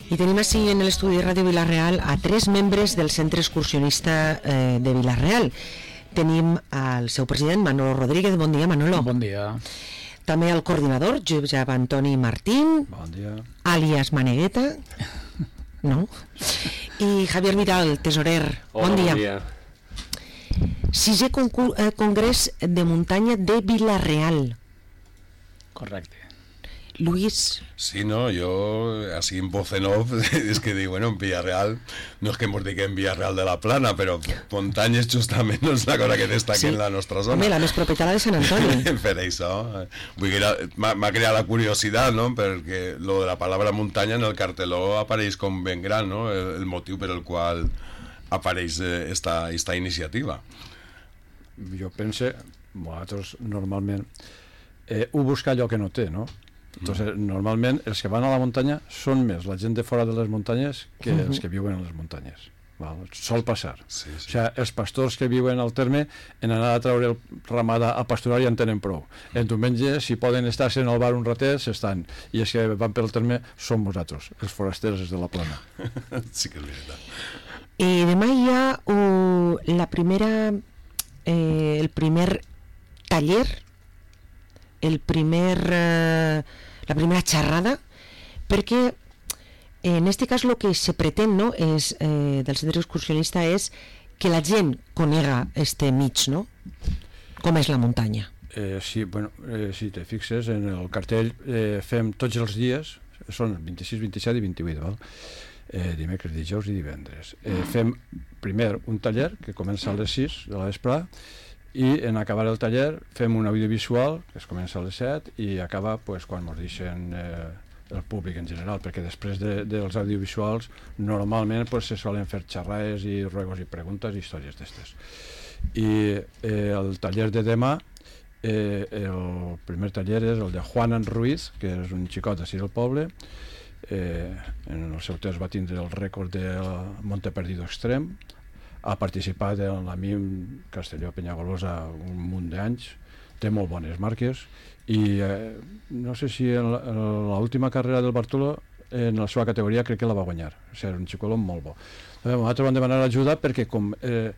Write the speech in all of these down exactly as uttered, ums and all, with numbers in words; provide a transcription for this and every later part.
I tenim així en l'estudi de Ràdio Vila-real a tres membres del Centre Excursionista eh, de Vila-real. Tenim al seu president, Manolo Rodríguez. Bon dia, Manolo. Bon dia. També el coordinador, Josep Antoni Martín. Bon dia. Àlies Manegueta. No? I Javier Vidal, tesorer. Hola, bon dia. Bon dia. Sisè concurs, eh, congrés de muntanya de Vila-real. Correcte. Luis. Sí, no, yo así en voz en off es que digo, bueno, en Villarreal no es que hemos dicho en Villarreal de la Plana, pero montañas justament no és la cosa que destaca sí. en la nostra zona. Home, la més propera de Sant Antoni. Per això, vull dir, m'ha creat la curiositat, no?, perquè lo de la palabra muntanya en el carteló apareix com ben gran, no?, el, el motiu per el qual apareix esta, esta iniciativa. Jo pense, vosaltres normalment eh, ho busca allò que no té, no? Entonces, normalment els que van a la muntanya són més la gent de fora de les muntanyes que uh-huh. els que viuen a les muntanyes. Val? Sol passar. Sí, sí. O sigui, els pastors que viuen al terme en anar a treure el ramada a pasturar ja en tenen prou. En diumenge, si poden estar-se en el bar un ratet, s'estan. I els que van pel terme són vosaltres, els forasters de la Plana. Sí que és veritat. I demà hi ha uh, la primera eh, el primer taller, el primer eh, la primera xerrada, perquè en este cas el que se pretén, no, és, eh, del centre excursionista és que la gent conega este mig, no? Com és la muntanya. Eh, sí, bueno, eh, si te fixes en el cartell eh, fem tots els dies, són vint-i-sis, vint-i-set i vint-i-vuit, val? Eh, dimecres, dijous i divendres. Eh, fem primer un taller que comença a les sis de la vesprada i en acabar el taller fem un audiovisual que es comença a les set i acaba pues, quan ens deixen eh, el públic en general, perquè després de, dels audiovisuals normalment pues, se solen fer xerrades i ruegos i preguntes i històries d'estes. I eh, el taller de demà, eh, el primer taller és el de Juan Ruiz, que és un xicot d'ací del poble. Eh, en el seu temps va tindre el rècord del Monte Perdido Extrem, ha participat en la M I M Castelló-Penyagolosa un munt d'anys, té molt bones marques i eh, no sé si en l'última carrera del Bartolo en la seva categoria crec que la va guanyar, o sigui, era un xicoló molt bo. Nosaltres vam demanar ajuda perquè com eh,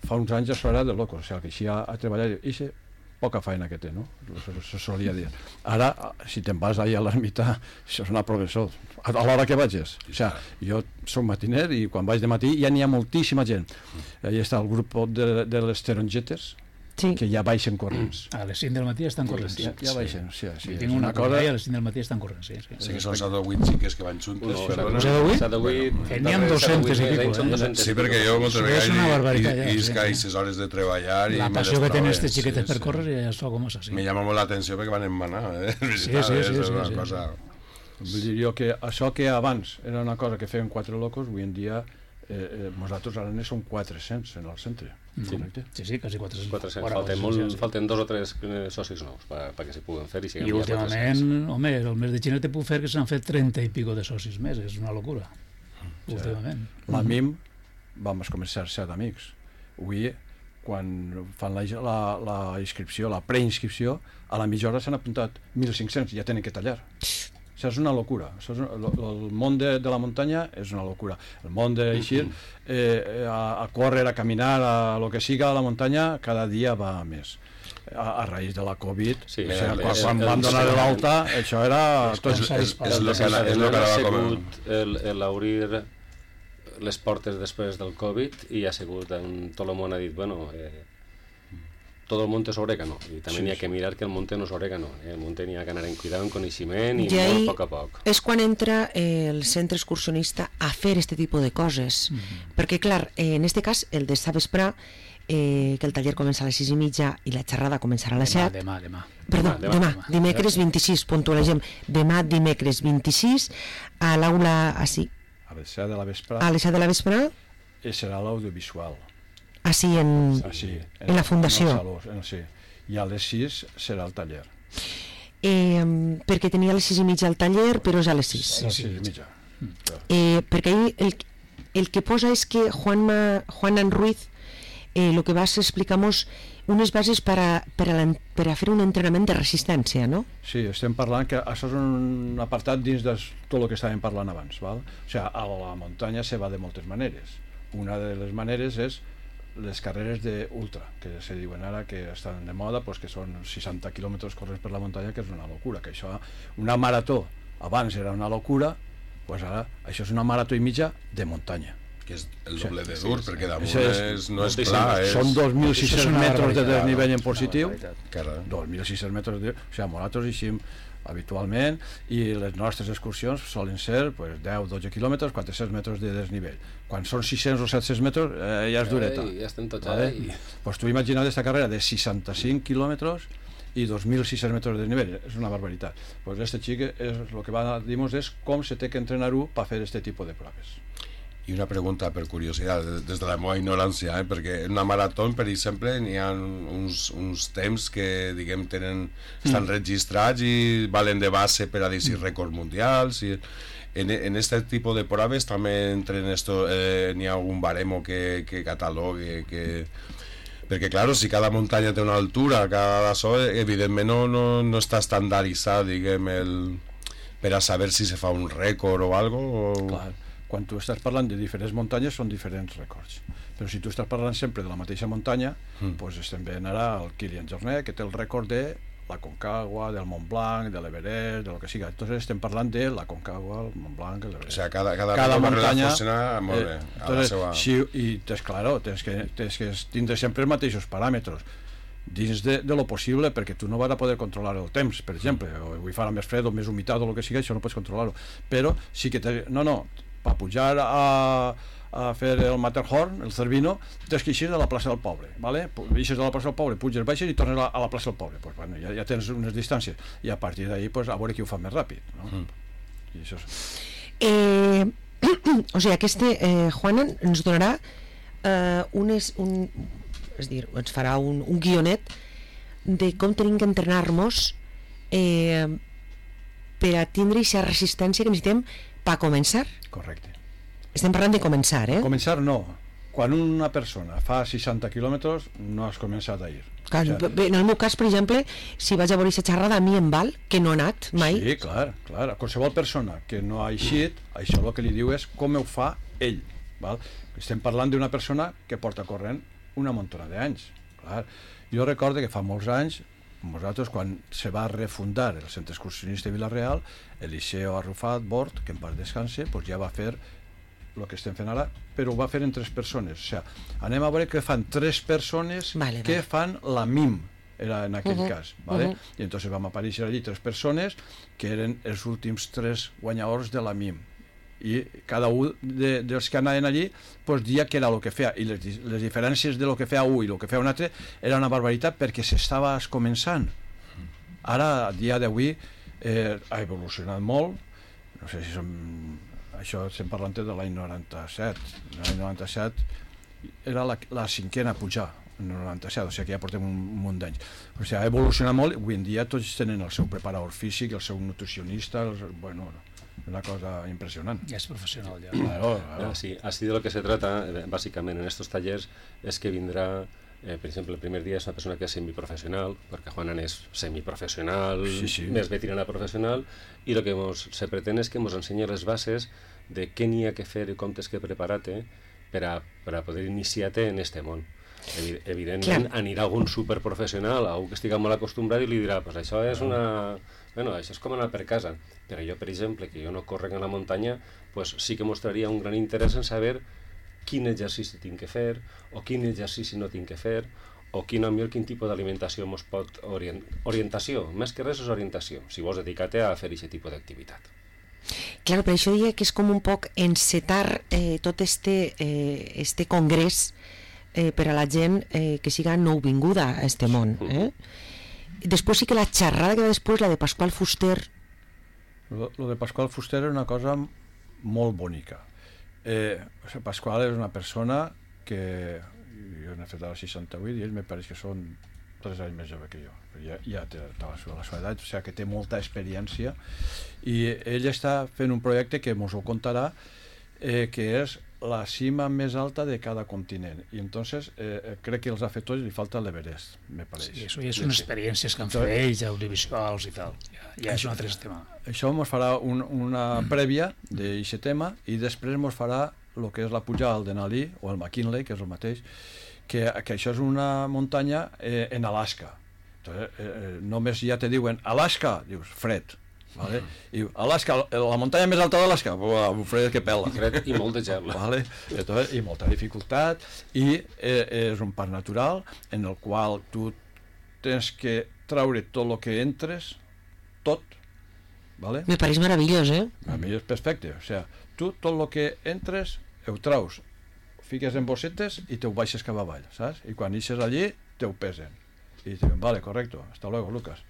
fa uns anys això era de loco, o sigui, que així ha, ha treballat i sé poca feina que té, no? Se solia dir. Ara, si te'n vas allà a l'ermita, això és una professor, a l'hora que vagis. O sigui, jo soc matiner i quan vaig de matí ja n'hi ha moltíssima gent. Allà està el grup de, de les tarongetes, sí. que ja baixen corrents. A les cinc del matí estan corrents. Ja, ja baixen, sí. sí, sí tinc una, una cosa... i a les cinc del matí estan corrents, sí. Sí, sí que són set o vuit xiques que van juntes. No, però set o vuit? Teníem dos-centes i pico, eh? Sí, perquè jo moltes vegades i escaixes hores de treballar... La passió que tenen aquestes xiquetes per córrer ja és com és així. Me llama molt l'atenció perquè van emmanar, eh? Sí, sí, sí. És una cosa... Vull dir jo que això que abans era una cosa que feien quatre locos, avui en dia eh, eh, nosaltres ara ne som quatre-cents en el centre. Sí, sí, sí, quasi quatre-cents. quatre-cents. Falten, molt, sí, sí. falten dos o tres socis nous perquè pa que s'hi puguen fer. I, I últimament, home, el mes de gener te puc fer que s'han fet trenta i pico de socis més, és una locura. Sí. Últimament. La M I M vam començar set amics. Avui, quan fan la, la, la inscripció, la preinscripció, a la mitja hora s'han apuntat mil cinc-cents, ja tenen que tallar. Això és una locura. Això és un, el món de, de la muntanya és una locura. El món d'així, eh, a, a córrer, a caminar, a lo que siga a la muntanya, cada dia va més. A, a raïs de la Covid, sí, o sigui, quan, quan van donar l'alta, això era... És el que ha sigut l'obrir les portes després del Covid i ha sigut, tot el món ha dit, bueno... Eh, tot el monte és orégano, i també sí, n'hi ha que mirar que el monte no és orégano, eh? El monte n'hi ha que anar en cuidar, en coneixement i, I molt a poc a poc. És quan entra eh, el centre excursionista a fer este tipus de coses, mm-hmm. perquè clar, eh, en este cas, el de esta vesprà, eh, que el taller comença a les sis i mitja i la xerrada començarà a les set. Demà, demà. Perdó, demà, demà, demà. dimecres vint-i-sis, puntualitzem, demà dimecres vint-i-sis, a l'aula, així. A les set de la vesprà. A les set de la vesprà. I serà l'audiovisual. Així en, ah, sí, en, en la fundació en saló, en, sí. I a les sis serà el taller eh, perquè tenia a les sis i mitja el taller però és a les sis, sí, sí, sí. mitja. Eh, perquè ahí el, el que posa és que Juan, Ma, Juan Ruiz eh, lo que vas explicamos unes bases per a, per, a, per a fer un entrenament de resistència, no? Sí, estem parlant que això és un apartat dins de tot el que estàvem parlant abans, val? O sigui, a la muntanya se va de moltes maneres. Una de les maneres és les carreres d'ultra, que se diuen ara que estan de moda, pues que són seixanta quilòmetres corrents per la muntanya, que és una locura, que això, una marató abans era una locura, pues ara això és una marató i mitja de muntanya, que és el doble de dur, sí, perquè damunt és, és, no és pla, és... són dos mil sis-cents metres de desnivell en positiu, Carai. dos mil sis-cents metres de... O sigui, nosaltres eixim habitualment i les nostres excursions solen ser pues, deu a dotze quilòmetres, quatre-cents metres de desnivell. Quan són sis-cents o set-cents metres eh, ja és dureta. Ai, ja estem tots vale? ahí. Pues tu imagina't aquesta carrera de seixanta-cinc quilòmetres i dos mil sis-cents metres de desnivell, és una barbaritat. Pues este xic és, el que va a dir-nos és com se té que entrenar-ho per fer este tipus de proves. I una pregunta per curiositat, des de la meva ignorància, eh? perquè en una marató, per exemple, n'hi ha uns, uns temps que, diguem, tenen, estan mm. registrats i valen de base per a dir si rècords mundials. I en, en este tipus de proves també entre esto, eh, n'hi ha algun baremo que, que catalogue, que... perquè, clar, si cada muntanya té una altura, cada so, evidentment no, no, no està estandarditzat, diguem, el... per a saber si se fa un rècord o algo. O... Clar. Quan tu estàs parlant de diferents muntanyes són diferents rècords, però si tu estàs parlant sempre de la mateixa muntanya, mm. doncs estem veient ara el Kilian Jornet, que té el rècord de la Concagua, del Mont Blanc, de l'Everest, de lo que siga. Entonces estem parlant de la Concagua, el Mont Blanc, l'Everest. O sea, cada, cada, cada muntanya funciona molt bé. Eh, entonces, seva... sí, i tens, claro, tens que, tens que tindre sempre els mateixos paràmetres dins de, de lo possible, perquè tu no vas a poder controlar el temps, per exemple, o avui farà més fred o més humitat o el que sigui, això no pots controlar-ho, però sí que te, no, no, per pujar a, a fer el Matterhorn, el Cervino, tens que eixir de la plaça del Poble, ¿vale? Eixes de la plaça del Poble, puges, baixes i tornes a la, a la plaça del Poble, pues, bueno, ja, ja tens unes distàncies i a partir d'ahí pues, a veure qui ho fa més ràpid, no? Mm. I això és... eh, o sigui, este eh, Juan ens donarà eh, unes, un, és dir, ens farà un, un guionet de com tenim que entrenar-nos eh, per a tindre aquesta resistència que necessitem per començar. Correcte. Estem parlant de començar, eh? Començar no. Quan una persona fa seixanta quilòmetres no has començat a ir. Clar, o sigui, en el meu cas, per exemple, si vaig a veure aquesta xerrada, a mi em val, que no he anat mai. Sí, clar, clar. A qualsevol persona que no ha eixit, això el que li diu és com ho fa ell. Val? Estem parlant d'una persona que porta corrent una muntona d'anys. Clar. Jo recordo que fa molts anys, nosaltres, quan se va refundar el centre excursionista de Vila-real, Eliseo Arrufat Bort, que en part descanse, pues ja va fer el que estem fent ara, però ho va fer en tres persones. O sigui, anem a veure que fan tres persones vale, que vale. fan la M I M, era en aquell uh -huh. cas. ¿vale? Uh -huh. I entonces vam aparèixer allí tres persones que eren els últims tres guanyadors de la M I M. I cada un de, dels que anaven allí pues, dia que era el que feia, i les, les diferències de lo que feia un i el que feia un altre era una barbaritat perquè s'estava començant. Ara, a dia d'avui eh, ha evolucionat molt, no sé si som, això estem parlant de l'any noranta-set, l'any noranta-set era la, la cinquena a pujar, en el noranta-set, o sigui que ja portem un, un munt d'anys. O sigui, ha evolucionat molt, avui en dia tots tenen el seu preparador físic, el seu nutricionista, el, bueno, una cosa impresionant. Ya es profesional ya. Claro, claro. Sí, así de lo que se trata, eh, básicamente en estos talleres, es que vendrá, eh, por ejemplo, el primer día es una persona que es semiprofesional, porque Juanan es semiprofesional, sí, sí. més veterana profesional, y lo que mos, se pretende es que nos enseñe les bases de què n'hi ha que fer i com tens que preparar-te per a, per a poder iniciar-te en este món. Evi evidentment Clar. anirà algun superprofessional, algú que estigui molt acostumbrat i li dirà, pues això és una... Bueno, això és com anar per casa. Però jo, per exemple, que jo no correc en la muntanya, pues sí que mostraria un gran interès en saber quin exercici tinc que fer, o quin exercici no tinc que fer, o quin, millor, quin tipus d'alimentació mos pot orient... orientació, més que res és orientació, si vols dedicar-te a fer aquest tipus d'activitat. Claro, per això diria que és com un poc encetar eh, tot este, eh, este congrés eh, per a la gent eh, que siga nouvinguda a este món. Eh? Després sí que la xerrada que va després, la de Pasqual Fuster... Lo, lo de Pasqual Fuster és una cosa molt bonica. Eh, o sigui, Pasqual és una persona que... Jo n'he fet a la seixanta-vuit i ell me pareix que són tres anys més jove que jo. Ja, ja té la seva edat, o sigui que té molta experiència i ell està fent un projecte que mos ho contarà, eh, que és la cima més alta de cada continent. I entonces eh, crec que els ha fet tots i li falta l'Everest, me pareix. Sí, això ja són experiències que han fet ells, audiovisuals i tal. Ja, ja és un altre tema. Això ens farà un, una prèvia d'aquest tema i després ens farà el que és la pujada al Denali o el McKinley, que és el mateix, que, que això és una muntanya eh, en Alaska. Entonces, eh, només ja te diuen Alaska, dius fred. Vale? I Alaska, la muntanya més alta d'Alaska, un fred que pela. Fred i molt de gel. Vale? Entonces, i molta dificultat, i eh, és un parc natural en el qual tu tens que traure tot el que entres, tot, vale? Me pareix meravellós, eh? A mi és perfecte, o sea, tu tot el que entres ho traus, ho fiques en bossetes i te ho baixes cap avall, saps? I quan ixes allí, te ho pesen. I diuen, vale, correcto, hasta luego, Lucas.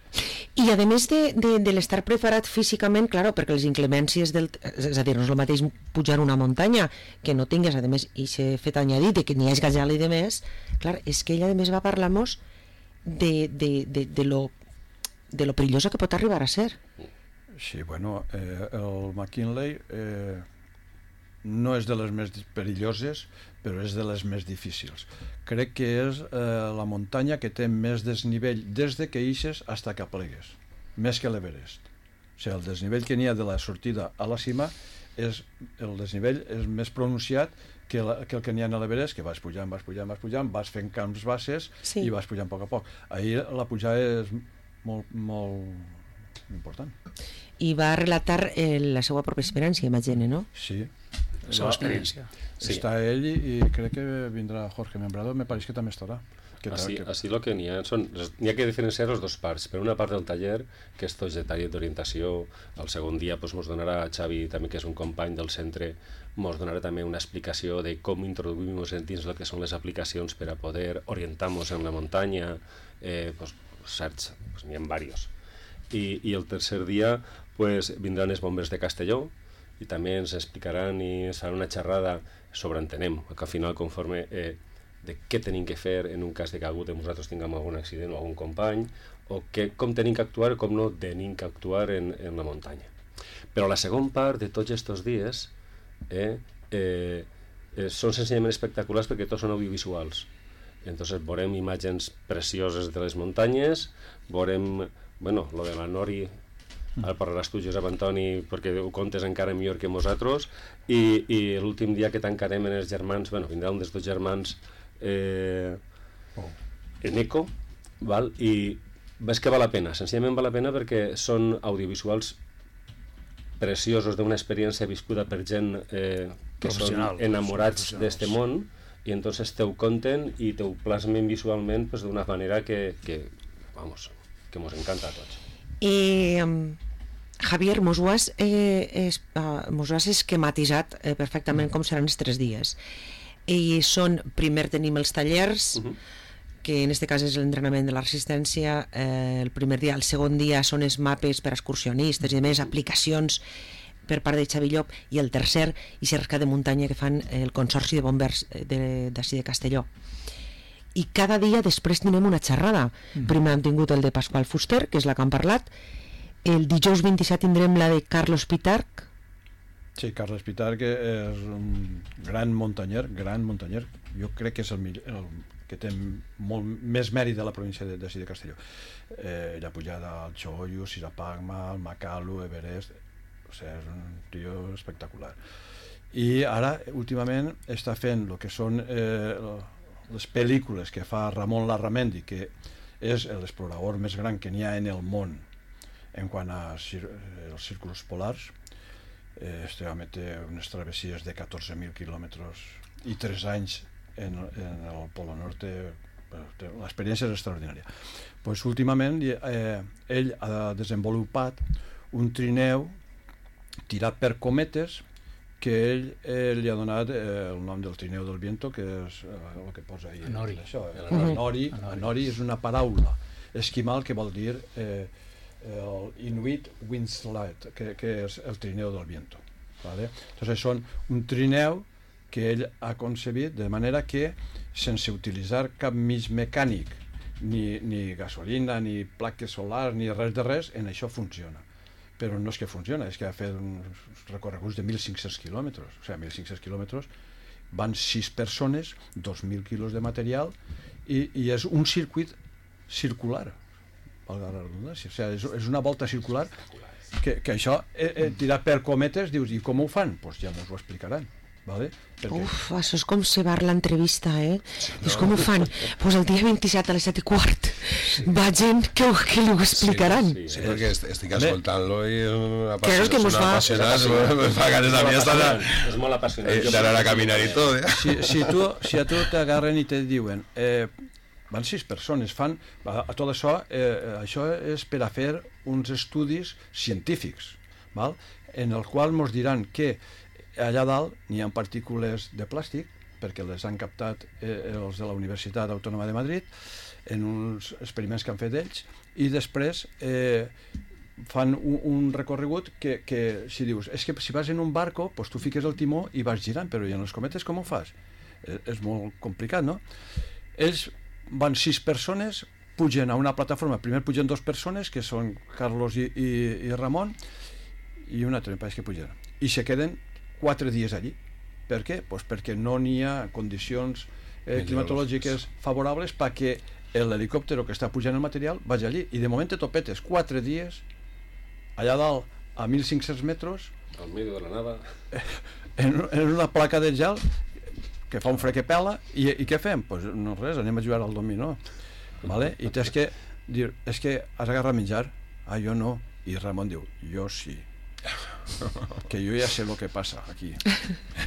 I a més de, de, de l'estar preparat físicament, claro, perquè les inclemències del... És a dir, no és el mateix pujar una muntanya que no tingues, a més, i s'ha fet añadit que n'hi hagi gajal i de més, clar, és que ella a més va parlar-nos de, de, de, de, lo, de lo perillosa que pot arribar a ser. Sí, bueno, eh, el McKinley eh, no és de les més perilloses, però és de les més difícils. Crec que és eh, la muntanya que té més desnivell des de que ixes fins que plegues, més que l'Everest. O sigui, el desnivell que n'hi ha de la sortida a la cima, és, el desnivell és més pronunciat que, la, que el que n'hi ha a l'Everest, que vas pujant, vas pujant, vas pujant, vas fent camps bases sí. i vas pujant a poc a poc. Ahir la pujada és molt, molt important. I va relatar eh, la seva propia experiència, imagine, no? Sí. La seva experiència. Sí. Està ell i, i crec que vindrà Jorge Membrado, me pareix que també estarà. Que Així, que... així lo que n'hi ha són, n'hi ha que diferenciar les dues parts. Per una part del taller, que és tot de taller d'orientació, el segon dia pues, mos donarà Xavi, també que és un company del centre, mos donarà també una explicació de com introduïm-nos dins el que són les aplicacions per a poder orientar-nos en la muntanya, eh, pues, certs, pues, n'hi ha diversos. I, I el tercer dia pues, vindran els bombers de Castelló, i també ens explicaran i ens faran una xerrada sobre entenem, que al final conforme eh, de què tenim que fer en un cas de que algú de nosaltres tinguem algun accident o algun company, o que, com tenim que actuar o com no tenim que actuar en, en la muntanya. Però la segona part de tots aquests dies eh, eh, eh, són senzillament espectaculars perquè tots són audiovisuals. Entonces veurem imatges precioses de les muntanyes, veurem, bueno, lo de la Nori, ara parlaràs tu, Josep Antoni, perquè ho contes encara millor que nosaltres, i, i l'últim dia que tancarem en els germans, bueno, vindrà un dels dos germans eh, oh. en Eco, val? I ves que val la pena, senzillament val la pena perquè són audiovisuals preciosos d'una experiència viscuda per gent eh, que són enamorats d'este món, i entonces te ho conten i te ho plasmen visualment pues, d'una manera que, que, vamos, que mos encanta a tots. Eh, Javier, mos ho has, eh, es, uh, mos ho has esquematitzat eh, perfectament com seran els tres dies. I són, primer tenim els tallers, uh -huh. que en aquest cas és l'entrenament de la resistència, eh, el primer dia, el segon dia són els mapes per a excursionistes i més aplicacions per part de Xavi Llop, i el tercer, i cerca de muntanya que fan el Consorci de Bombers d'ací de, de Castelló. I cada dia després tenim una xerrada. Mm. Primer hem tingut el de Pasqual Fuster, que és la que hem parlat. El dijous vint-i-set tindrem la de Carlos Pitarch. Sí, Carlos Pitarch és un gran muntanyer, gran muntanyer. Jo crec que és el, millor, el que té molt més mèrit de la província de, de, de Castelló. Eh, la pujada al Choyu, Sirapagma, al Makalu, Everest... O sigui, és un tio espectacular. I ara, últimament, està fent el que són eh, les pel·lícules que fa Ramon Larramendi, que és l'explorador més gran que n'hi ha en el món en quant als círculos polars. Eh, este home té unes travessies de catorze mil quilòmetres i tres anys en, en el Polo Norte. L'experiència és extraordinària. Pues, últimament, eh, ell ha desenvolupat un trineu tirat per cometes que ell eh, li ha donat eh, el nom del trineu del viento, que és eh, el que posa ahí. Anori. Això, el Anori. Anori és una paraula esquimal que vol dir eh, el Inuit Windslide, que, que és el trineu del viento. ¿Vale? Entonces són un trineu que ell ha concebit de manera que sense utilitzar cap mig mecànic, ni, ni gasolina, ni plaques solars, ni res de res, en això funciona. Però no és que funciona, és que ha fet uns recorreguts de mil cinc-cents quilòmetres, o sigui, mil cinc-cents quilòmetres van sis persones, dos mil quilos de material, i, i és un circuit circular, valga la redundància, o sigui, és, és una volta circular que, que això, eh, eh, tirat per cometes, dius, i com ho fan? Doncs pues ja ens ho explicaran. Vale? Perquè... Uf, això és com cebar l'entrevista, eh? No. És com ho fan. Pues el dia vint-i-set a les set i quart sí. va gent que, que li ho explicaran. Sí, sí, sí, perquè estic escoltant-lo i claro, és que mos fa... me fa ganes a mi estar és molt apassionant d'anar a caminar i tot. Eh? Si, si, tu, si a tu t'agarren i te diuen eh, van sis persones, fan a, a tot això, eh, això és per a fer uns estudis científics, val? En el qual ens diran que allà dalt n'hi ha partícules de plàstic, perquè les han captat eh, els de la Universitat Autònoma de Madrid en uns experiments que han fet ells, i després eh, fan un, un recorregut que, que si dius, és que si vas en un barco, pues tu fiques el timó i vas girant, però i en els cometes com ho fas? Eh, és molt complicat, no? Ells van sis persones, pugen a una plataforma, primer pugen dos persones, que són Carlos i, i, i Ramon, i un altre, em pareix que pugen, i se queden quatre dies allí. Per què? Pues perquè no n'hi ha condicions eh, climatològiques favorables perquè l'helicòpter que està pujant el material vagi allí. I de moment te topetes quatre dies allà dalt a mil cinc-cents metres al mig de la nada en, en una placa de gel que fa un fred que pela i, i què fem? Pues no res, anem a jugar al dominó, vale? I tens que dir, és que has agarrat menjar? Ah, jo no. I Ramon diu, jo sí, que yo ya sé lo que pasa aquí.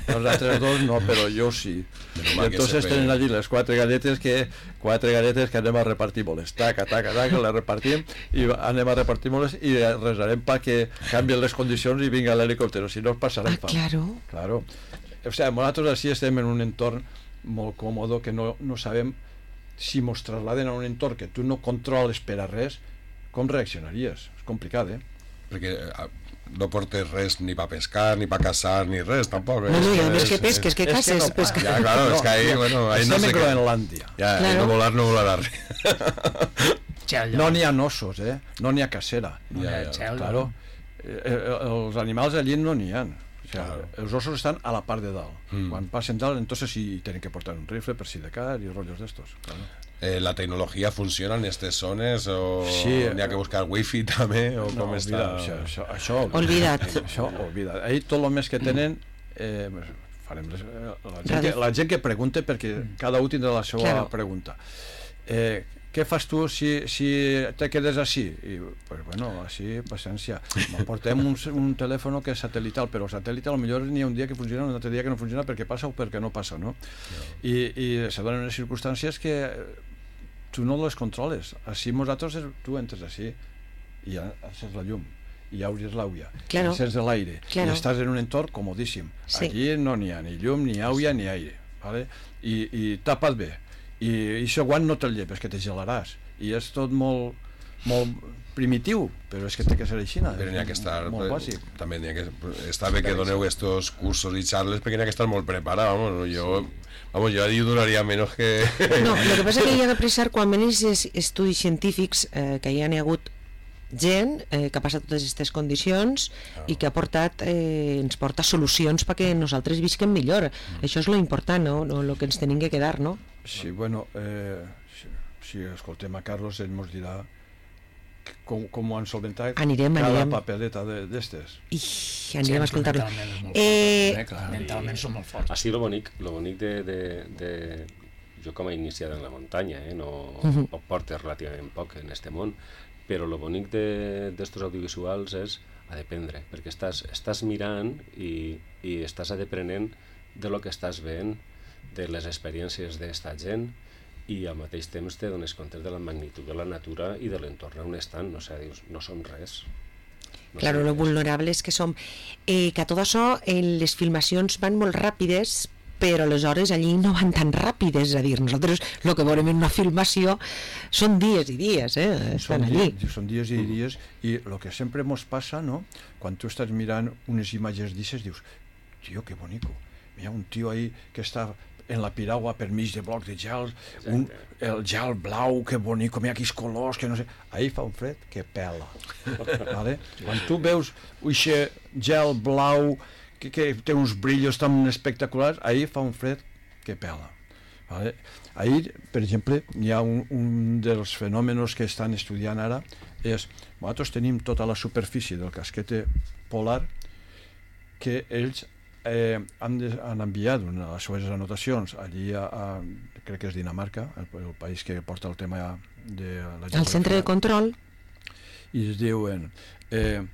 Los otros dos no, pero yo sí. Y entonces tienen allí les quatre galletes que quatre galletes que anem a repartir moles. Taca, taca, taca, les repartim i anem a repartir moles i resarem perquè canvien les condicions i vinga l'helicòpter, si no es passarem fam. Ah, claro. Claro. O sea, nosaltres així estem en un entorn molt còmode que no, no sabem si mos trasladen a un entorn que tu no controles per a res, com reaccionaries? És complicat, eh? Perquè no portes res ni pa pescar, ni pa caçar, ni res, tampoc. No, no, ja ves que pesques, que caces, es que no, pescar. Ja, claro, no, és que ahí, bueno, ahí no sé què. Groenlàndia. Ja, claro. No volar, no volarà res. No n'hi ha ossos, eh? No n'hi ha cacera. Ja, ja, claro. Eh, els animals allí no n'hi ha. O sea, claro. Els ossos estan a la part de dalt. Mm. Quan passen dalt, entonces sí tienen que portar un rifle per si de cas i rollos d'estos. Claro. Eh, ¿La tecnología funciona en estas zonas o sí, n'hi ha que buscar wifi també o no, com olvida, està? Això, això, això olvidat. Això, olvidat. Ahí tot el més que tenen eh, farem les, la, gent que, la gent que pregunta perquè cada un tindrà la seva claro. pregunta. Eh, què fas tu si, si te quedes així? I, pues bueno, així, paciència. Portem un, un telèfon que és satelital, però satelital potser n'hi ha un dia que funciona, un altre dia que no funciona perquè passa o perquè no passa, no? I, i se donen unes circumstàncies que tu no les controles. Així nosaltres, tu entres així i ja encens la llum, i ja obres l'àuia, claro. encens l'aire, claro. i estàs en un entorn comodíssim. Sí. Allí no n'hi ha ni llum, ni àuia, ni aire, ¿vale? I, i tapa't bé. I això guant no te'l llepes, que te gelaràs. I és tot molt, molt primitiu, però és que té que ser així. Però n'hi ha que estar... Molt bàsic. També n'hi ha que... Està bé que doneu estos cursos i charles perquè n'hi ha que estar molt preparat, vamos, jo... Vamos, yo ahí duraría menos que... No, lo que pasa es que hi ha de precisar quan venen aquests estudis científics eh, que hi ha hagut gent eh, que ha passat totes aquestes condicions oh. i que ha portat, eh, ens porta solucions perquè nosaltres visquem millor. Mm. Això és lo important, no? No, lo que ens tenim que quedar, no? Sí, bueno, eh, si, si escoltem a Carlos, ell ens dirà com, com ho han solventat anirem, cada anirem. papeleta d'estes. I anirem sí, a escoltar-lo. Mentalment, eh, eh, mentalment som molt forts. Així lo bonic, lo bonic de, de, de... Jo com he iniciat en la muntanya, eh, no uh-huh. ho porto relativament poc en este món, però lo bonic d'estos de, audiovisuals és a dependre, perquè estàs, estàs mirant i, i estàs adeprenent de lo que estàs veient, de les experiències d'esta gent, i al mateix temps te dones compte de la magnitud de la natura i de l'entorn on estan, no sé, dius, no som res. No claro, som lo res. vulnerables que som. Eh, que a tot això, eh, les filmacions van molt ràpides, però aleshores allí no van tan ràpides, és a dir, nosaltres el que veurem en una filmació són dies i dies, eh? Estan són allí. Dies, són dies i dies, i el que sempre ens passa, no?, quan tu estàs mirant unes imatges d'ixes, dius, tio, que bonico, hi ha un tio ahí que està en la piragua per mig de blocs de gel, un, el gel blau, que bonic, mira quins colors, que no sé... Ahí fa un fred que pela. Vale? Quan tu veus aquest gel blau que, que té uns brillos tan espectaculars, ahir fa un fred que pela. Vale? Ahir, per exemple, hi ha un, un dels fenòmenos que estan estudiant ara, és, nosaltres tenim tota la superfície del casquete polar que ells eh, han, de, han enviat una de les seves anotacions allí a, a crec que és Dinamarca, el, el país que porta el tema de la al centre de control, i es diuen eh,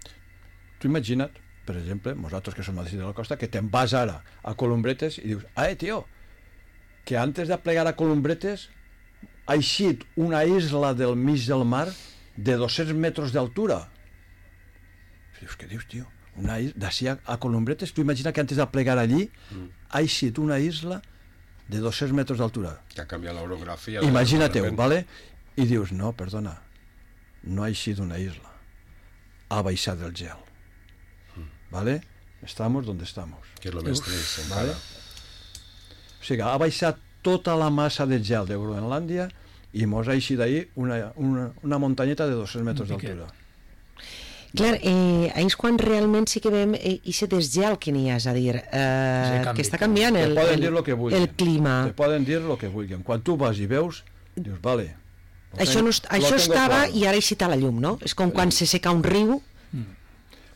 tu imagina't, per exemple, nosaltres que som a de la costa, que te'n vas ara a Columbretes i dius, ah, tio, que antes de plegar a Columbretes ha eixit una isla del mig del mar de dos-cents metres d'altura. Dius, què dius, tio? Una isla, d'ací a, a Columbretes, tu imagina que antes de plegar allí mm. ha eixit una isla de dos-cents metres d'altura. Que ha canviat l'orografia. Imagina-teu, ¿vale? I dius, no, perdona, no ha eixit una isla, ha baixat el gel. Mm. ¿Vale? Estamos donde estamos. Que és lo més trist, ¿vale? O sigui, ha baixat tota la massa de gel de Groenlàndia i mos ha eixit d'ahir una, una, una muntanyeta de dos-cents metres d'altura. Clar, eh, és quan realment sí que veiem eh, aquest desgel que n'hi ha, és a dir, eh, que està canviant el, el, el, que el clima. Te poden dir el que vulguin. Quan tu vas i veus, dius, vale. Això, no, això estava claro. I ara ha eixit a la llum, no? És com quan sí. se seca un riu. Mm.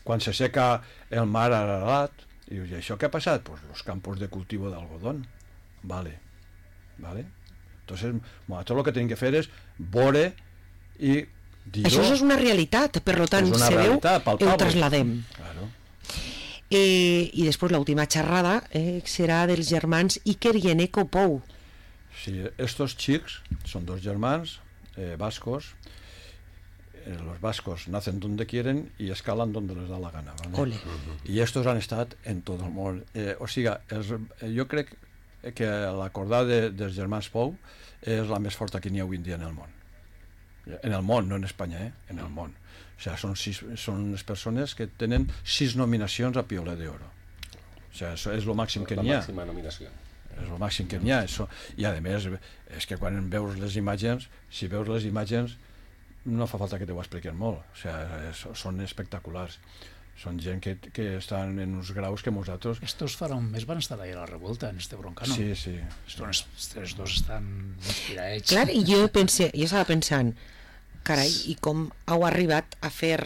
Quan se seca el mar Ararat, i dius, i això què ha passat? Pues los campos de cultivo d'algodón. Vale. Vale. Entonces, nosaltres el que tenim que fer és veure i dir-ho. Això és una realitat, per tant, se veu, ho trasladem. Claro. Eh, I després l'última xerrada eh, serà dels germans Iker i Eneko Pou. Sí, estos xics són dos germans eh, vascos. Eh, los vascos nacen donde quieren y escalan donde les da la gana. ¿Vale? Ole. I estos han estat en tot el món. Eh, o sigui, els, eh, jo crec que l'acordada de, dels germans Pou és la més forta que n'hi ha avui en dia en el món. En el món, no en Espanya, eh? En el món. O sigui, són, sis, són les persones que tenen sis nominacions a Piolet d'Oro. O sigui, això és el màxim que n'hi ha. La màxima nominació. És el màxim que n'hi ha. Això. I, a més, és que quan veus les imatges, si veus les imatges, no fa falta que t'ho expliquen molt. O sigui, és, són espectaculars. Són gent que, que estan en uns graus que nosaltres... Estos farà un mes van estar ahí a la revolta, en este broncano. Sí, sí. Estos, estos dos estan inspirats. Clar, i jo pensé, jo estava pensant, carai, i com heu arribat a fer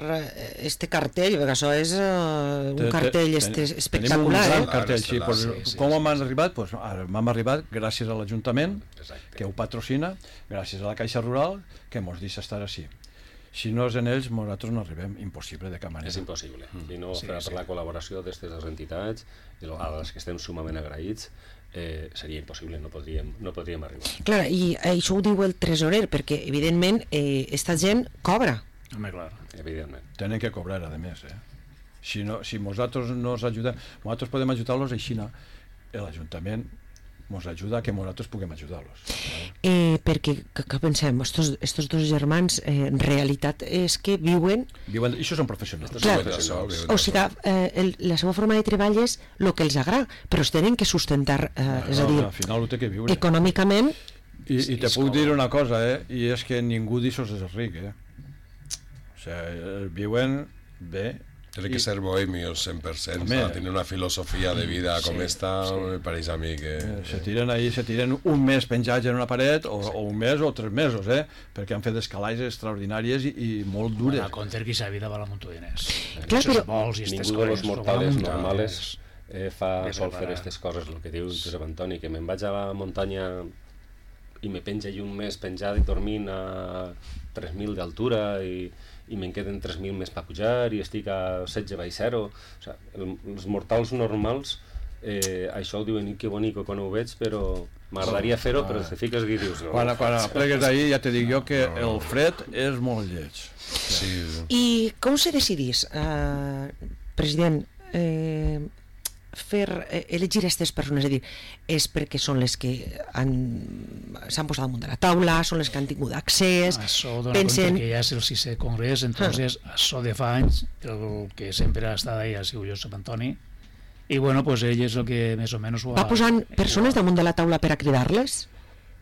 este cartell? Perquè això és uh, un cartell ten, este espectacular, eh? Tenim un gran eh? cartell, sí. Pues, sí, sí, com sí, hem sí. arribat? Pues, hem arribat gràcies a l'Ajuntament, que ho patrocina, gràcies a la Caixa Rural, que ens deixa estar així. Si no és en ells, nosaltres no arribem. Impossible, de cap manera. És impossible. Mm. I no sí, per, sí. per la col·laboració d'aquestes dues entitats, a les que estem sumament agraïts, eh, seria impossible, no podríem, no podríem arribar. Clar, i això ho diu el tresorer, perquè, evidentment, eh, esta gent cobra. Home, clar. Evidentment. Tenen que cobrar, a més. Eh? Si, no, si nosaltres no els ajudem, nosaltres podem ajudar-los així, no? L'Ajuntament ens ajuda a que nosaltres puguem ajudar-los. Eh, perquè, que, que pensem, estos, estos dos germans, eh, en realitat és que viuen... Viuen, això són professionals. Clar, o sigui, eh, el, la seva forma de treball és el que els agrada, però es tenen que sustentar, eh, no, és a dir, al final ho té que viure. econòmicament... I, i te puc dir una cosa, eh? I és que ningú d'això és ric, eh? O sigui, viuen bé. Tiene que ser bohemios cent per cent, tiene una filosofia de vida com sí, esta, sí. Me pareix a mi que... Eh, se tiren ahí, se tiren un mes penjats en una paret, o, sí. o un mes o tres mesos, eh? Perquè han fet escalades extraordinàries i, i molt dures. Bueno, a compte que sa vida val a munt de diners. Clar, però... Vols i ningú de los mortales normales eh, fa sol fer aquestes coses, el que diu Josep Antoni, que me'n vaig a la muntanya i me penja i un mes penjat i dormint a tres mil d'altura i i me'n queden tres mil més per pujar i estic a setze baix zero. O sigui, el, els mortals normals, eh, això ho diuen, que bonico quan ho veig, però m'agradaria fer-ho, però te fiques i dius... No, quan, quan plegues d'ahir ja te dic jo que no. El fred és molt lleig. Sí. I com se decidís, eh, president, eh, fer eh, elegir aquestes persones? És a dir, és perquè són les que s'han posat damunt de la taula, són les que han tingut accés... Això dona pensen... compte que ja és el sisè congrés, entonces ah. això de fa anys, el que sempre ha estat ahí ha sigut Josep Antoni, i bueno, pues ell és el que més o menys ho ha... Va posant persones damunt de la taula per a cridar-les?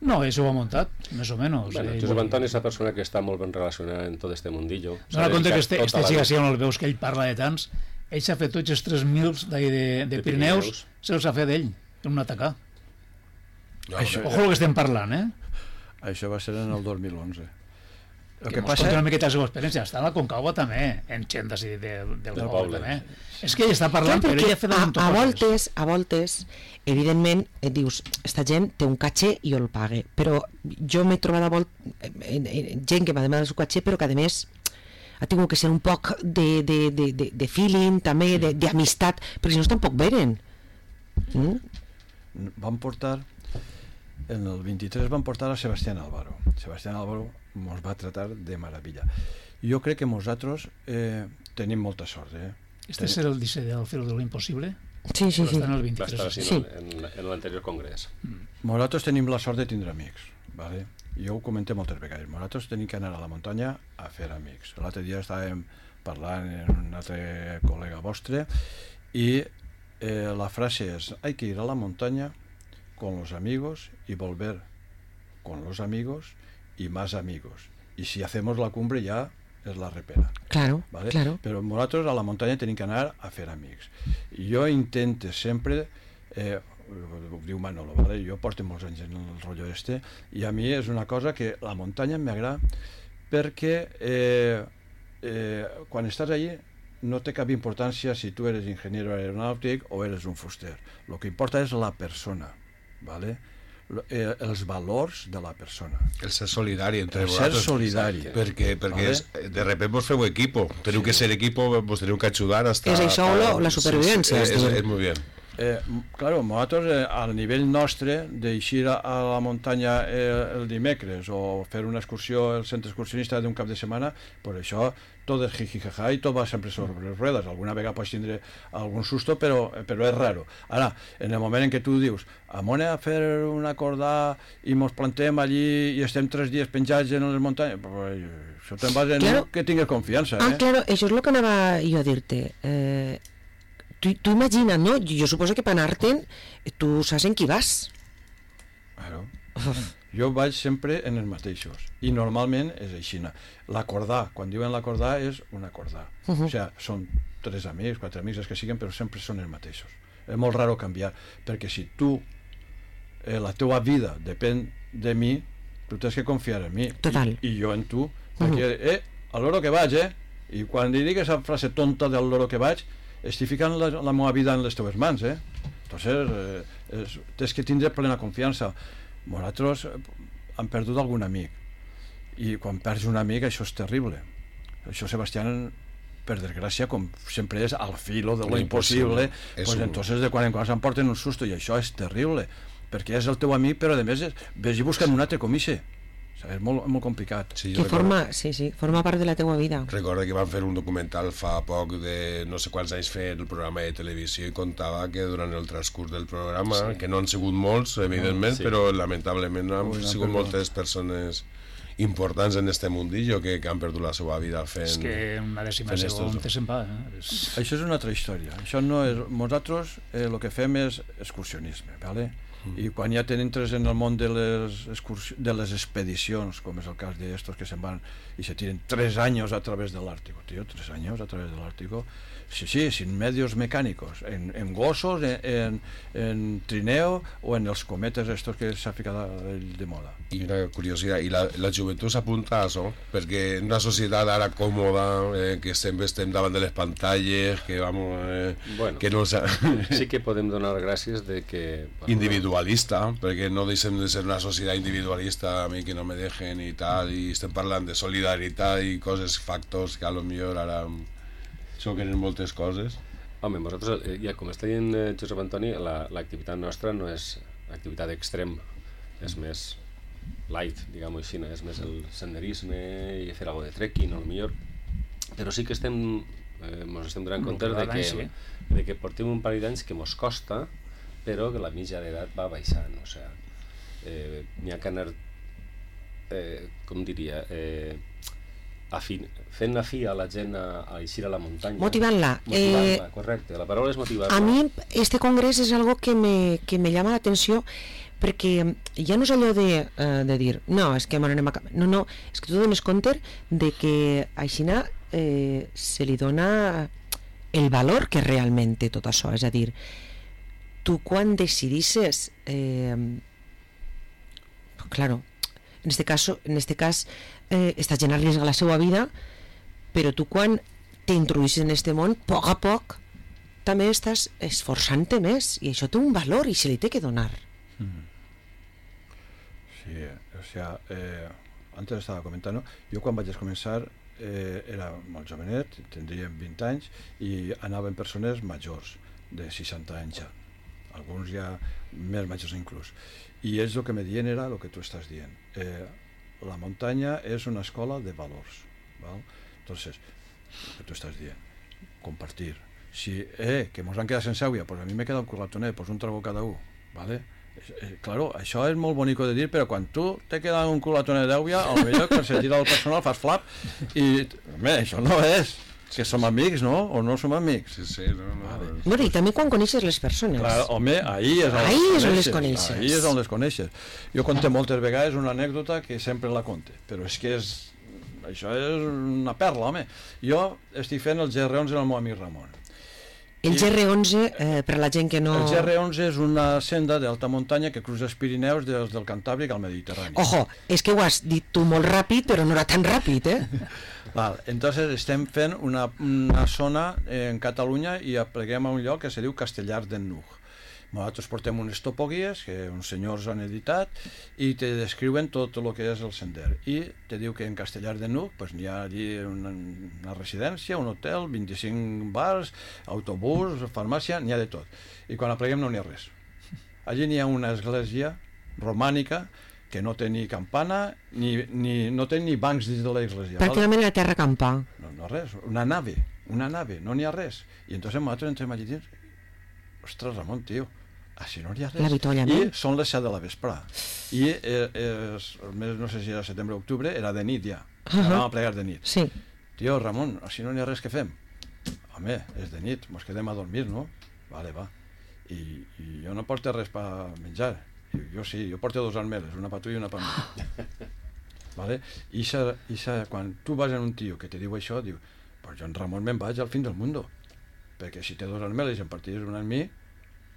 No, això ho ha muntat, més o menys. Bueno, Josep Antoni és la persona que està molt ben relacionada en tot este mundillo. Dona compte que este, este sí, així on el veus que ell parla de tants, ell s'ha fet tots els tres mil de, de, de Pirineus, Pirineus. Se'ls ha fet ell, en un atacar. No, Això, ojo el que estem parlant, eh? Això va ser en el dos mil onze. El que, que passa... una miqueta la seva experiència. Està a la Concagua també, en gent de, de, del de poble, també. És que ell està parlant, clar, però ell ha fet a, a voltes, a voltes, evidentment, et dius, esta gent té un caché i jo el pague, però jo m'he trobat a volt... gent que m'ha demanat el seu caché, però que a més ha tingut que ser un poc de, de, de, de, de feeling, també, d'amistat, perquè si no tampoc veren. Mm? Van portar, en el vint-i-tres van portar a Sebastián Álvaro. Sebastián Álvaro ens va tratar de meravella. Jo crec que nosaltres eh, tenim molta sort. Eh? Este és el disseny del Filo de lo Impossible? Sí, sí, sí. En el vint-i-tres. Va estar sí. en, en l'anterior congrés. Mm. Nosaltres tenim la sort de tindre amics. Vale? Jo ho comenté moltes vegades. Nosaltres tenim que anar a la muntanya a fer amics. L'altre dia estàvem parlant amb un altre col·lega vostre i eh, la frase és: hay que ir a la montaña con los amigos y volver con los amigos y más amigos. Y si hacemos la cumbre ya es la repera. Claro, ¿vale? claro. Però nosaltres a la muntanya tenim que anar a fer amics. I jo intento sempre... Eh, ho diu Manolo, ¿vale? Jo porto molts anys en el rotllo este i a mi és una cosa que la muntanya m'agrada perquè eh, eh, quan estàs allí no té cap importància si tu eres ingeniero aeronàutic o eres un fuster. El que importa és la persona, ¿vale? Eh, els valors de la persona. El ser solidari entre el vosaltres. ser solidari. Perquè, perquè ¿vale? és, de repente vos feu equipo. Teniu sí. que ser equipo, vos teniu que ajudar hasta... És això a, la supervivència. Sí, sí, és, és, és molt bé. Eh, claro, nosaltres eh, al nivell nostre d'eixir a, a la muntanya eh, el dimecres o fer una excursió al centre excursionista d'un cap de setmana, per això tot és jijijaja i tot va sempre sobre les ruedes. Alguna vegada pots tindre algun susto, però, però és raro. Ara, en el moment en què tu dius amone a fer una acordar i mos plantem allí i estem tres dies penjats en les muntanyes, pues, això te'n vas en claro. Que tingues confiança. Ah, eh? claro, això és el que anava jo a dir-te. Eh... Tu, tu imagina, no? Jo suposo que per anar-te'n tu saps en qui vas. Claro. Jo vaig sempre en els mateixos i normalment és així. L'acordar, quan diuen l'acordar és un acordar. Uh -huh. O sigui, són tres amics, quatre amics, els que siguin, però sempre són els mateixos. És molt raro canviar, perquè si tu, eh, la teua vida depèn de mi, tu tens que confiar en mi. Total. I, i jo en tu, perquè, uh -huh. eh, a l'hora que vaig, eh? I quan li digues la frase tonta del l'hora que vaig, estic ficant la, la meva vida en les teves mans, eh? Entonces, eh, és, tens que tindre plena confiança. Nosaltres hem perdut algun amic i quan perds un amic això és terrible. Això Sebastián, per desgràcia, com sempre és al filo de lo impossible, pues un... entonces de quan en quan s'emporten un susto i això és terrible, perquè és el teu amic però a més és, vés i busquen un altre comixe. És molt, molt complicat. Sí, que forma, sí, sí, forma part de la teua vida. Recordo que van fer un documental fa poc de no sé quants anys fer el programa de televisió i contava que durant el transcurs del programa, sí. que no han sigut molts, evidentment, sí. però lamentablement han Ui, sigut perdó. moltes persones importants en este mundillo que, que han perdut la seva vida fent... És que una dècima segon te se'n va. Eh? És... Això és una altra història. Això no és... Nosaltres el eh, que fem és excursionisme, ¿vale? I quan ja t'entres en el món de les, de les expedicions, com és el cas d'estos que se'n van i se tiren tres anys a través de l'Àrtico, tío, tres anys a través de l'Àrtico, sí, sí, sin medios mecànicos, en, en gossos, en, en, en trineo o en els cometes estos que s'ha ficat de moda. I una curiositat, i la, la joventut s'apunta a això, perquè en una societat ara còmoda, eh, que sempre estem davant de les pantalles, que vamos, eh, bueno, que no... sí que podem donar gràcies de que... Individualista, perquè no deixem de ser una societat individualista, a mi que no me dejen i tal, i estem parlant de solidaritat i coses, factors que a lo millor ara xoquen moltes coses. Home, nosaltres, ja com està dient eh, Josep Antoni, l'activitat la, nostra no és activitat extrem, és més light, diguem-ho així, és més el senderisme i fer alguna de trekking, a lo millor, però sí que estem eh, mos estem donant compte de que, sí. de que portem un parell d'anys que mos costa, però que la mitja d'edat va baixant, o sigui, eh, n'hi ha que anar, eh, com diria, eh, afin, fent afí a la gent a, a eixir a la muntanya. Motivant-la. Motivant-la, eh, correcte, la paraula és motivar-la. A mi este congrés és algo que me, que me llama l'atenció perquè ja no és allò de, uh, de dir no, és que m'anem a... No, no, és que tu dones compte de que a Aixina eh, se li dona el valor que realment té tot això. És a dir, tu quan decidisses eh, claro, en este caso, en este cas eh, esta gent arriesga la seva vida, però tu quan t'introduïssis en este món, a poc a poc també estàs esforçant-te més, i això té un valor i se li té que donar. Mm. Sí, o sea, eh, antes estava comentant, jo quan vaig començar eh, era molt jovenet, tindria vint anys, i anaven persones majors, de seixanta anys ja, alguns ja més majors inclús, i ells el que me diuen era el que tu estàs dient. Eh, la muntanya és una escola de valors, ¿val? Entonces, el que tu estàs dient, compartir. Si, eh, que mos han quedat sense aigua, pues a mi me queda un culatonet, pues un trago cada un, ¿vale? Eh, claro, això és molt bonico de dir, però quan tu te queda un culatonet d'aigua, al millor que se tira el personal fas flap, i, home, això no és que som amics, no? O no som amics? Sí, sí, no, no. Vale. Bueno, i també quan coneixes les persones. Clar, home, ahí és on, ahí les, és on les coneixes, coneixes. ahí és on les coneixes. Jo conté moltes vegades una anècdota que sempre la conte, però és que és, això és una perla, home. Jo estic fent el G R onze amb el meu amic Ramon. El G R onze, eh, per la gent que no... El G R onze és una senda d'alta muntanya que cruza els Pirineus des del Cantàbric al Mediterrani. Ojo, és que ho has dit tu molt ràpid, però no era tan ràpid, eh? Val, entonces estem fent una, una zona en Catalunya i apleguem a un lloc que se diu Castellar d'en Nuc. Nosaltres portem unes topoguies que uns senyors han editat i te descriuen tot el que és el sender. I te diu que en Castellar de Nuc pues, n'hi ha allí una, una residència, un hotel, vint-i-cinc bars, autobús, farmàcia, n'hi ha de tot. I quan apleguem no n'hi ha res. Allí n'hi ha una església romànica que no té ni campana, ni, ni, no té ni bancs dins de l'església. Pràcticament a terra campar. No, no res, una nave, una nave, no n'hi ha res. I entonces nosaltres entrem allí dins, ostres, Ramon, tio, així no hi ha res. L'avituallament. I són les set de la vesprà. I eh, és, el mes, no sé si era setembre o octubre, era de nit ja. Uh -huh. Anàvem a plegar de nit. Sí. Tio, Ramon, així no hi ha res que fem. Home, és de nit, mos quedem a dormir, no? Vale, va. I, i jo no porto res per menjar. I jo sí, jo porto dos armeles, una per tu i una per mi. Vale? I sa, i sa, quan tu vas en un tio que te diu això, diu, pues jo en Ramon me'n vaig al fin del mundo. Perquè si té dos armeles i en partis una en mi,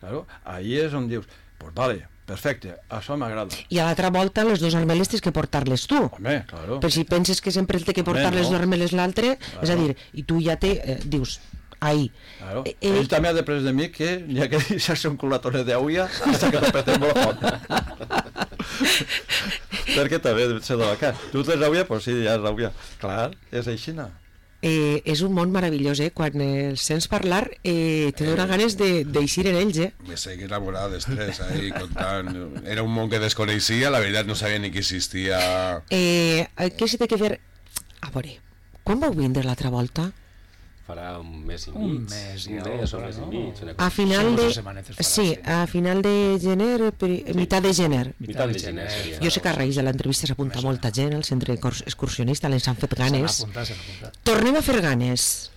claro, ahí és on dius, pues vale, perfecte, això m'agrada. I a l'altra volta les dos armeles tens que portar-les tu. Home, claro. Però si penses que sempre el té que portar Home, no. les dos armeles l'altre, Claro. és a dir, i tu ja té, eh, dius, ahí. Claro. Eh, Ell eh, també ha després de mi que n'hi ha que deixar-se un culatone d'aigua hasta que l'apretem molt fort. Perquè també deu ser de la cara. Tu tens aigua? Pues sí, ja és aigua. Clar, és així, no? eh, és un món meravellós, eh? Quan eh, els sents parlar, eh, te dona ganes de- d'eixir en ells, eh? Me seguí enamorado de estrés ahí contant. Era un món que desconeixia, la veritat no sabia ni que existia. Eh, què s'hi té que fer? A veure, quan vau vindre l'altra volta? Farà un mes i mig. Un mes i un algo, mes o un mes no? i mig. Una A cosa. final Sí, de... dos setmanetes farà, Sí, sí. a final de gener, pri- mitad de gener. Mitad de gener seria. Jo sé que a raïs de l'entrevista s'apunta molta gent al centre cors- excursionista, ens han fet S'han ganes. apuntat, s'han apuntat. Tornem a fer ganes.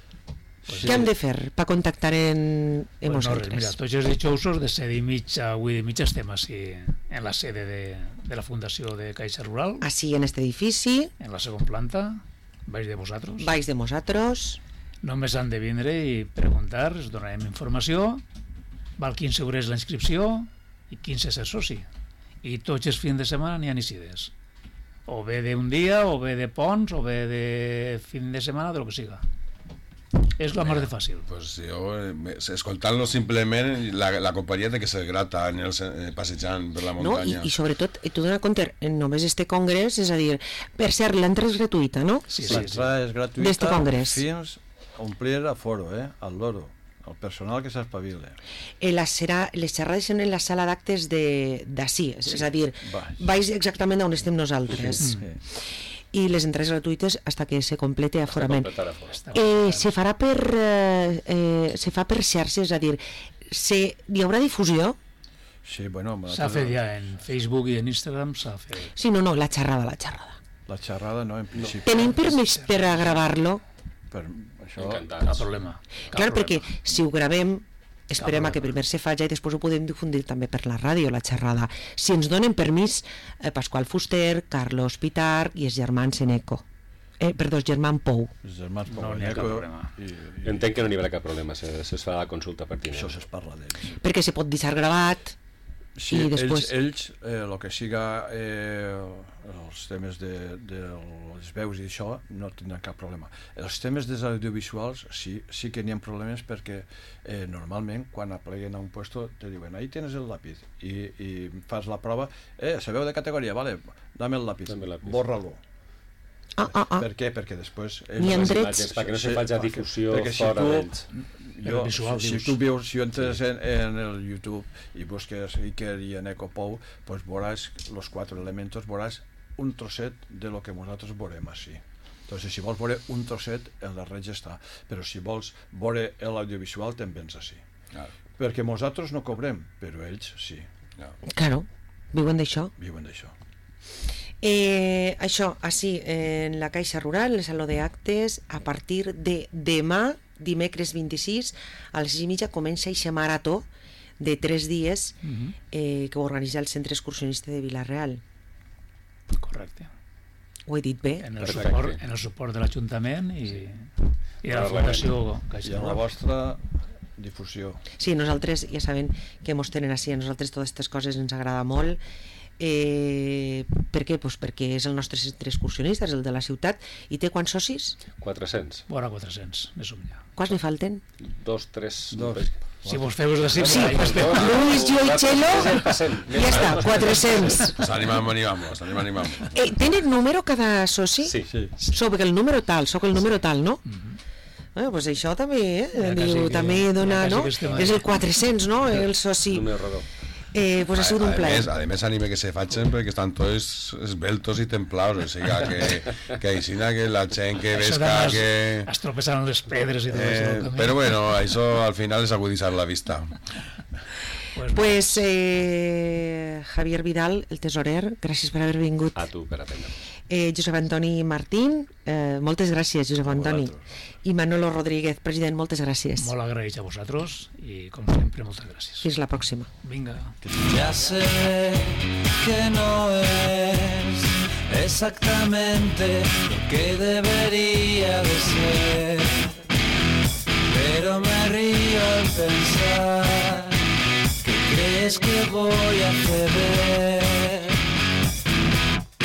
Pues Què hem de fer per contactar en, en Pues no, res, vosaltres? mira, tots els dijous de set i mig a vuit i mig estem així en la sede de, de la Fundació de Caixa Rural, Així en este edifici, en la segona planta, baix de vosaltres. baix de nosaltres. Només han de vindre i preguntar, es donarem informació, val quinze euros la inscripció i quinze ser soci. I tots els fins de setmana n'hi ha inicies. O bé d'un dia, o bé de ponts, o bé de fin de setmana, de lo que siga. És la mar de fàcil. Pues jo, eh, me- escoltant-lo simplement, la, la companyia de que se grata en el, eh, passejant per la No? I, muntanya. I sobretot, eh, tu dona compte, eh, només este congrés, és a dir, per cert, l'entrada és gratuïta, no? Sí, sí, sí. L'entrada és gratuïta D'este congrés. fins a omplir aforo, eh? Al loro. El personal que s'espavila. Eh, la serà, les xerrades són en la sala d'actes de- d'ací, és, és a dir, baix. baix exactament on estem nosaltres. Sí. I les entrades gratuïtes fins que se complete aforament. Completar afora. Està Eh, se farà per eh, eh, se fa per xarxes, és a dir, se, hi haurà difusió? Sí, bueno, S'ha fet ja en Facebook i en Instagram, s'ha fet. Sí, no, no, la xerrada, la xerrada. la xerrada no, en principi. Tenim permís per a gravar-lo? Per això, Encantats. Cap problema. Cap Clar, problema. perquè si ho gravem, esperem a que problema. primer se faci i després ho podem difundir també per la ràdio, la xerrada. Si ens donen permís, eh, Pasqual Fuster, Carlos Pitar i els germans Seneco. eh, perdó, els germans Pou. Els germans Pou. No n'hi ha cap problema. I, i, Entenc que no n'hi haurà cap problema, se, se es farà la consulta pertinent. això es parla d'ells. Perquè se pot deixar gravat Sí, i després... ells, ells eh, el que siga eh, els temes de, de les veus i això no tindran cap problema. Els temes dels audiovisuals sí, sí que n'hi ha problemes perquè eh, normalment quan apleguen a un puesto te diuen ahí tienes el lápiz i, i fas la prova, eh, se veu de categoria, vale, dame el lápiz, Dame el lápiz. borra-lo. Ah, ah, ah. Per què? Perquè després... N'hi ha Les drets. imatges, perquè no se Sí, faci perquè- difusió perquè si fora tu- d'ells. Jo, visual, si, si dius. tu vius, si entres en, en el YouTube i busques Iker i en Ecopou, pues veuràs los cuatro elementos, veuràs un trosset de lo que nosaltres veurem així. Entonces, si vols veure un trosset, el darrer ja està. Però si vols veure l'audiovisual, te'n vens així. Claro, Perquè nosaltres no cobrem, però ells sí, claro. Claro, viuen d'això. viuen d'això. Eh, això, així, en la Caixa Rural, el Saló d'Actes, a partir de demà, dimecres vint-i-sis, a les sis i mitja comença eixa marató de tres dies Mhm. eh, que ho organitza el Centre Excursionista de Vila-real. Correcte. Ho he dit bé? En el Perfecte. suport, en el suport de l'Ajuntament i, i de la Parlarem. Fundació I Caixa en la Rural. vostra difusió. Sí, nosaltres ja saben que mos tenen així, a nosaltres totes aquestes coses ens agrada molt. Eh, per què? Pues perquè és el nostre centre excursionista, és el de la ciutat, i té quants socis? quatre-cents. Vora quatre-cents, més o menys. Quants n'hi falten? Dos, tres... Dos. Si vos feu de cim, Sí, ja pues, estem. Luis, jo i Chelo, ja està, quatre-cents. Pues animamos, animamos, animamos, animamos. Eh, tenen número cada soci? Sí. Sí. Soc el número tal, soc el número tal, no? Eh, pues això també, eh? Ja quasi Diu, que- també dona, ja quasi no? que estem És ahí. el quatre-cents, no? El soci. Número rodó. Eh, pues ha sigut un a, plaer. més, a més anime que se facin perquè estan tots esbeltos i templados, o sigui que, que aixina que la gent que Això vesca además, que... es tropeçaran les pedres i tot Eh, això. però bueno, això al final és agudizar la vista. Pues, Pues eh, Javier Vidal, el tesorer, gràcies per haver vingut. A tu, per atendre. Eh, Josep Antoni Martín, eh, moltes gràcies, Josep Antoni. I Manolo Rodríguez, president, moltes gràcies. molt agraïts a vosaltres i, com sempre, moltes gràcies. Fins la pròxima. Vinga. Ya sé que no es exactamente lo que debería de ser, pero me río al pensar que crees que voy a ceder.